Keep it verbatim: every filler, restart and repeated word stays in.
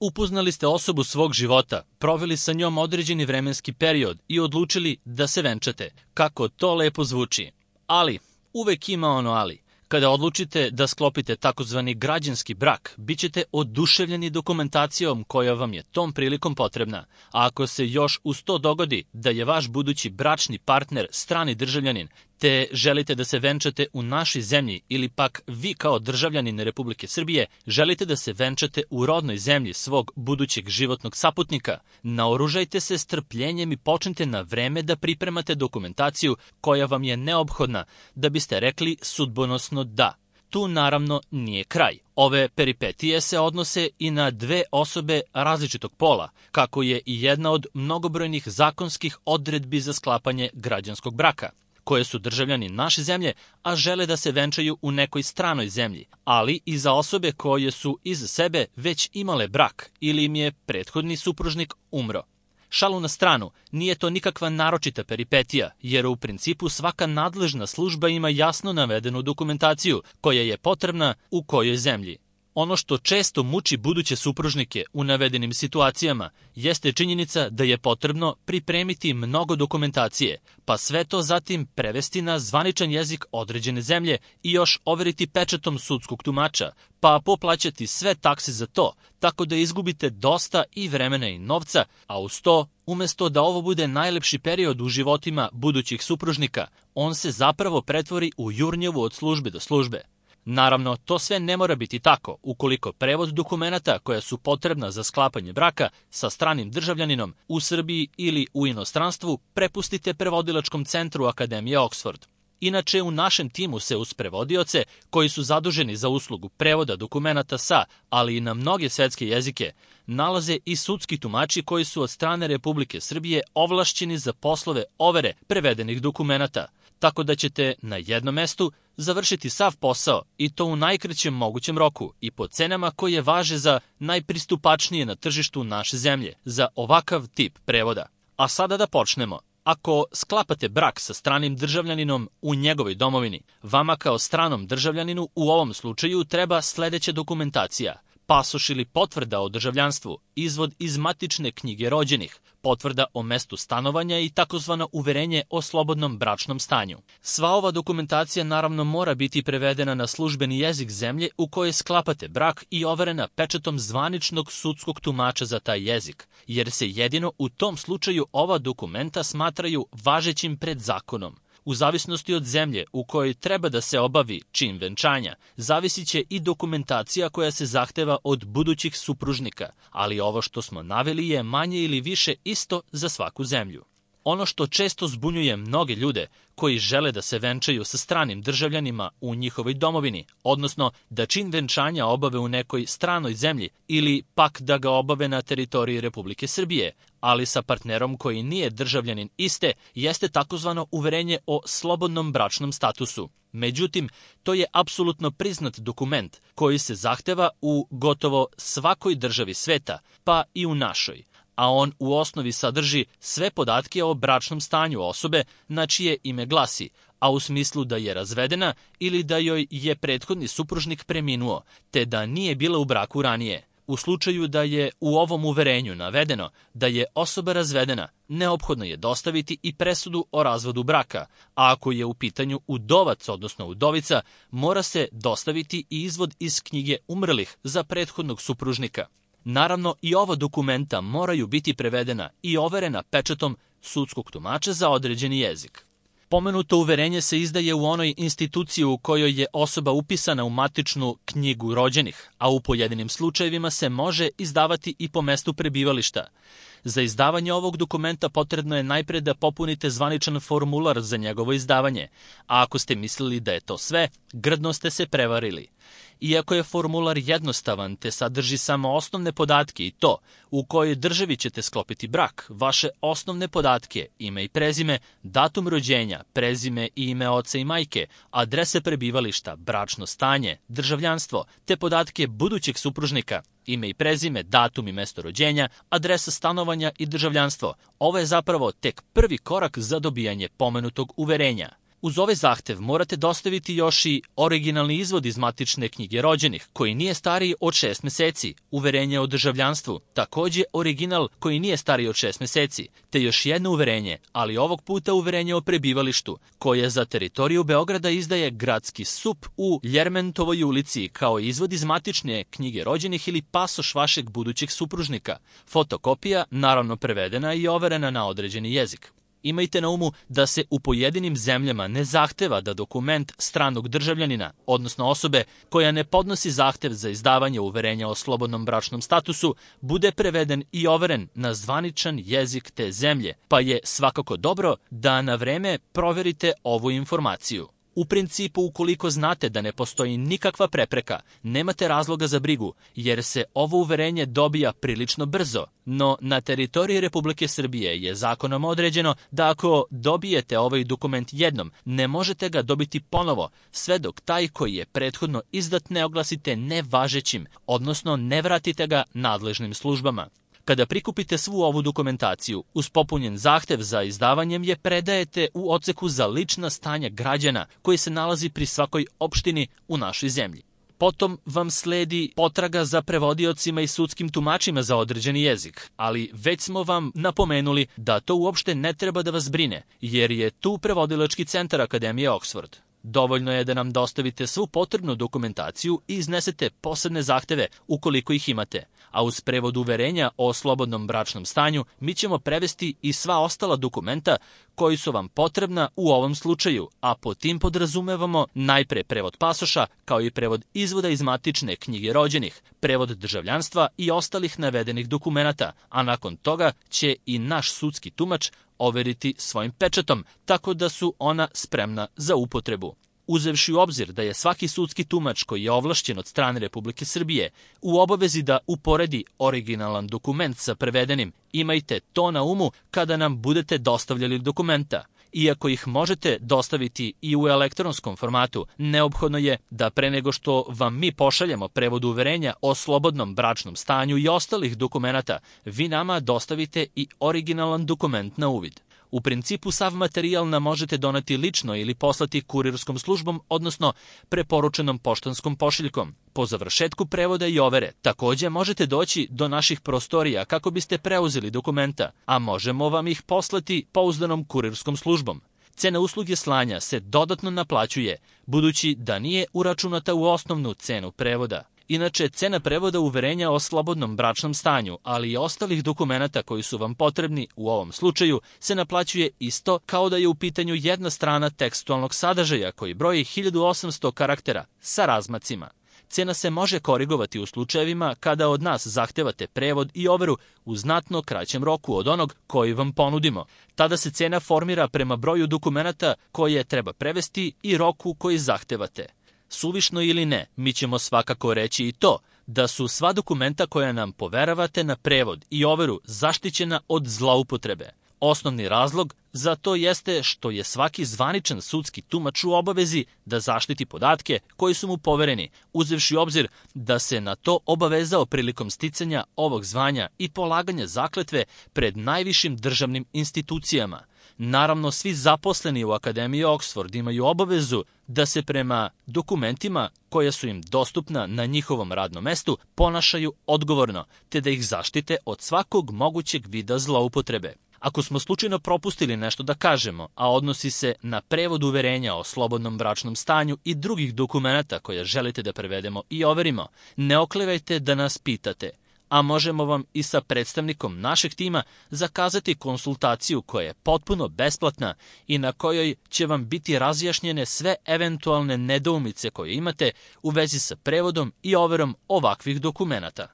Upoznali ste osobu svog života, proveli sa njom određeni vremenski period i odlučili da se venčate. Kako to lepo zvuči. Ali, uvek ima ono ali. Kada odlučite da sklopite takozvani građanski brak, bit ćete oduševljeni dokumentacijom koja vam je tom prilikom potrebna. A ako se još uz to dogodi da je vaš budući bračni partner strani državljanin, te želite da se venčate u našoj zemlji ili pak vi kao državljanin Republike Srbije želite da se venčate u rodnoj zemlji svog budućeg životnog saputnika, naoružajte se strpljenjem i počnite na vreme da pripremate dokumentaciju koja vam je neophodna da biste rekli sudbonosno da. Tu naravno nije kraj. Ove peripetije se odnose i na dve osobe različitog pola, kako je i jedna od mnogobrojnih zakonskih odredbi za sklapanje građanskog braka, koje su državljani naše zemlje, a žele da se venčaju u nekoj stranoj zemlji, ali i za osobe koje su iz sebe već imale brak ili im je prethodni supružnik umro. Šalu na stranu, nije to nikakva naročita peripetija, jer u principu svaka nadležna služba ima jasno navedenu dokumentaciju koja je potrebna u kojoj zemlji. Ono što često muči buduće supružnike u navedenim situacijama jeste činjenica da je potrebno pripremiti mnogo dokumentacije, pa sve to zatim prevesti na zvaničan jezik određene zemlje i još overiti pečatom sudskog tumača, pa poplaćati sve takse za to, tako da izgubite dosta i vremena i novca, a uz to, umesto da ovo bude najlepši period u životima budućih supružnika, on se zapravo pretvori u jurnjevu od službe do službe. Naravno, to sve ne mora biti tako ukoliko prevod dokumenata koja su potrebna za sklapanje braka sa stranim državljaninom u Srbiji ili u inostranstvu prepustite prevodilačkom centru Akademije Oxford. Inače, u našem timu se uz prevodioce, koji su zaduženi za uslugu prevoda dokumenata sa, ali i na mnoge svetske jezike, nalaze i sudski tumači koji su od strane Republike Srbije ovlašćeni za poslove overe prevedenih dokumenata, tako da ćete na jednom mestu završiti sav posao i to u najkraćem mogućem roku i po cenama koje važe za najpristupačnije na tržištu naše zemlje, za ovakav tip prevoda. A sada da počnemo. Ako sklapate brak sa stranim državljaninom u njegovoj domovini, vama kao stranom državljaninu u ovom slučaju treba sledeća dokumentacija: pasoš ili potvrda o državljanstvu, izvod iz matične knjige rođenih, potvrda o mestu stanovanja i takozvano uverenje o slobodnom bračnom stanju. Sva ova dokumentacija naravno mora biti prevedena na službeni jezik zemlje u kojoj sklapate brak i overena pečatom zvaničnog sudskog tumača za taj jezik, jer se jedino u tom slučaju ova dokumenta smatraju važećim pred zakonom. U zavisnosti od zemlje u kojoj treba da se obavi čin venčanja, zavisit će i dokumentacija koja se zahteva od budućih supružnika, ali ovo što smo naveli je manje ili više isto za svaku zemlju. Ono što često zbunjuje mnoge ljude koji žele da se venčaju sa stranim državljanima u njihovoj domovini, odnosno da čin venčanja obave u nekoj stranoj zemlji ili pak da ga obave na teritoriji Republike Srbije, ali sa partnerom koji nije državljanin iste, jeste takozvano uverenje o slobodnom bračnom statusu. Međutim, to je apsolutno priznat dokument koji se zahteva u gotovo svakoj državi sveta, pa i u našoj, a on u osnovi sadrži sve podatke o bračnom stanju osobe na čije ime glasi, a u smislu da je razvedena ili da joj je prethodni supružnik preminuo, te da nije bila u braku ranije. U slučaju da je u ovom uverenju navedeno da je osoba razvedena, neophodno je dostaviti i presudu o razvodu braka, a ako je u pitanju udovac, odnosno udovica, mora se dostaviti i izvod iz knjige umrlih za prethodnog supružnika. Naravno, i ova dokumenta moraju biti prevedena i overena pečatom sudskog tumača za određeni jezik. Pomenuto uverenje se izdaje u onoj instituciji u kojoj je osoba upisana u matičnu knjigu rođenih, a u pojedinim slučajevima se može izdavati i po mestu prebivališta. Za izdavanje ovog dokumenta potrebno je najpre da popunite zvaničan formular za njegovo izdavanje, a ako ste mislili da je to sve, grdno ste se prevarili. Iako je formular jednostavan te sadrži samo osnovne podatke i to u kojoj državi ćete sklopiti brak, vaše osnovne podatke, ime i prezime, datum rođenja, prezime i ime oca i majke, adrese prebivališta, bračno stanje, državljanstvo, te podatke budućeg supružnika, ime i prezime, datum i mesto rođenja, adresa stanovanja i državljanstvo. Ovo je zapravo tek prvi korak za dobijanje pomenutog uverenja. Uz ovaj zahtev morate dostaviti još i originalni izvod iz matične knjige rođenih, koji nije stariji od šest meseci, uverenje o državljanstvu, takođe original koji nije stariji od šest meseci, te još jedno uverenje, ali ovog puta uverenje o prebivalištu, koje za teritoriju Beograda izdaje gradski S U P u Ljermentovoj ulici, kao izvod iz matične knjige rođenih ili pasoš vašeg budućeg supružnika, fotokopija, naravno prevedena i overena na određeni jezik. Imajte na umu da se u pojedinim zemljama ne zahteva da dokument stranog državljanina, odnosno osobe koja ne podnosi zahtev za izdavanje uverenja o slobodnom bračnom statusu, bude preveden i overen na zvaničan jezik te zemlje, pa je svakako dobro da na vreme proverite ovu informaciju. U principu, ukoliko znate da ne postoji nikakva prepreka, nemate razloga za brigu, jer se ovo uverenje dobija prilično brzo, no na teritoriji Republike Srbije je zakonom određeno da ako dobijete ovaj dokument jednom, ne možete ga dobiti ponovo, sve dok taj koji je prethodno izdat ne oglasite nevažećim, odnosno ne vratite ga nadležnim službama. Kada prikupite svu ovu dokumentaciju, uz popunjen zahtev za izdavanjem je predajete u odseku za lična stanja građana koji se nalazi pri svakoj opštini u našoj zemlji. Potom vam sledi potraga za prevodiocima i sudskim tumačima za određeni jezik, ali već smo vam napomenuli da to uopšte ne treba da vas brine, jer je tu prevodilački centar Akademije Oxford. Dovoljno je da nam dostavite svu potrebnu dokumentaciju i iznesete posebne zahteve ukoliko ih imate, a uz prevod uverenja o slobodnom bračnom stanju mi ćemo prevesti i sva ostala dokumenta koji su vam potrebna u ovom slučaju, a po tim podrazumevamo najpre prevod pasoša kao i prevod izvoda iz matične knjige rođenih, prevod državljanstva i ostalih navedenih dokumenata, a nakon toga će i naš sudski tumač overiti svojim pečatom, tako da su ona spremna za upotrebu. Uzevši u obzir da je svaki sudski tumač koji je ovlašćen od strane Republike Srbije u obavezi da uporedi originalan dokument sa prevedenim, imajte to na umu kada nam budete dostavljali dokumenta. Iako ih možete dostaviti i u elektronskom formatu, neophodno je da pre nego što vam mi pošaljemo prevod uverenja o slobodnom bračnom stanju i ostalih dokumenata, vi nama dostavite i originalan dokument na uvid. U principu sav materijal nam možete doneti lično ili poslati kurirskom službom, odnosno preporučenom poštanskom pošiljkom. Po završetku prevoda i overe, takođe možete doći do naših prostorija kako biste preuzeli dokumenta, a možemo vam ih poslati pouzdanom kurirskom službom. Cena usluge slanja se dodatno naplaćuje, budući da nije uračunata u osnovnu cenu prevoda. Inače, cena prevoda uverenja o slobodnom bračnom stanju, ali i ostalih dokumenata koji su vam potrebni u ovom slučaju, se naplaćuje isto kao da je u pitanju jedna strana tekstualnog sadržaja koji broji hiljadu osamsto karaktera sa razmacima. Cena se može korigovati u slučajevima kada od nas zahtevate prevod i overu u znatno kraćem roku od onog koji vam ponudimo. Tada se cena formira prema broju dokumenata koje treba prevesti i roku koji zahtevate. Suvišno ili ne, mi ćemo svakako reći i to da su sva dokumenta koja nam poveravate na prevod i overu zaštićena od zloupotrebe. Osnovni razlog za to jeste što je svaki zvaničan sudski tumač u obavezi da zaštiti podatke koji su mu povereni, uzevši obzir da se na to obavezao prilikom sticanja ovog zvanja i polaganja zakletve pred najvišim državnim institucijama. Naravno, svi zaposleni u Akademiji Oxford imaju obavezu da se prema dokumentima koja su im dostupna na njihovom radnom mestu ponašaju odgovorno, te da ih zaštite od svakog mogućeg vida zloupotrebe. Ako smo slučajno propustili nešto da kažemo, a odnosi se na prevod uverenja o slobodnom bračnom stanju i drugih dokumenata koje želite da prevedemo i overimo, ne oklevajte da nas pitate, a možemo vam i sa predstavnikom našeg tima zakazati konsultaciju koja je potpuno besplatna i na kojoj će vam biti razjašnjene sve eventualne nedoumice koje imate u vezi sa prevodom i overom ovakvih dokumenata.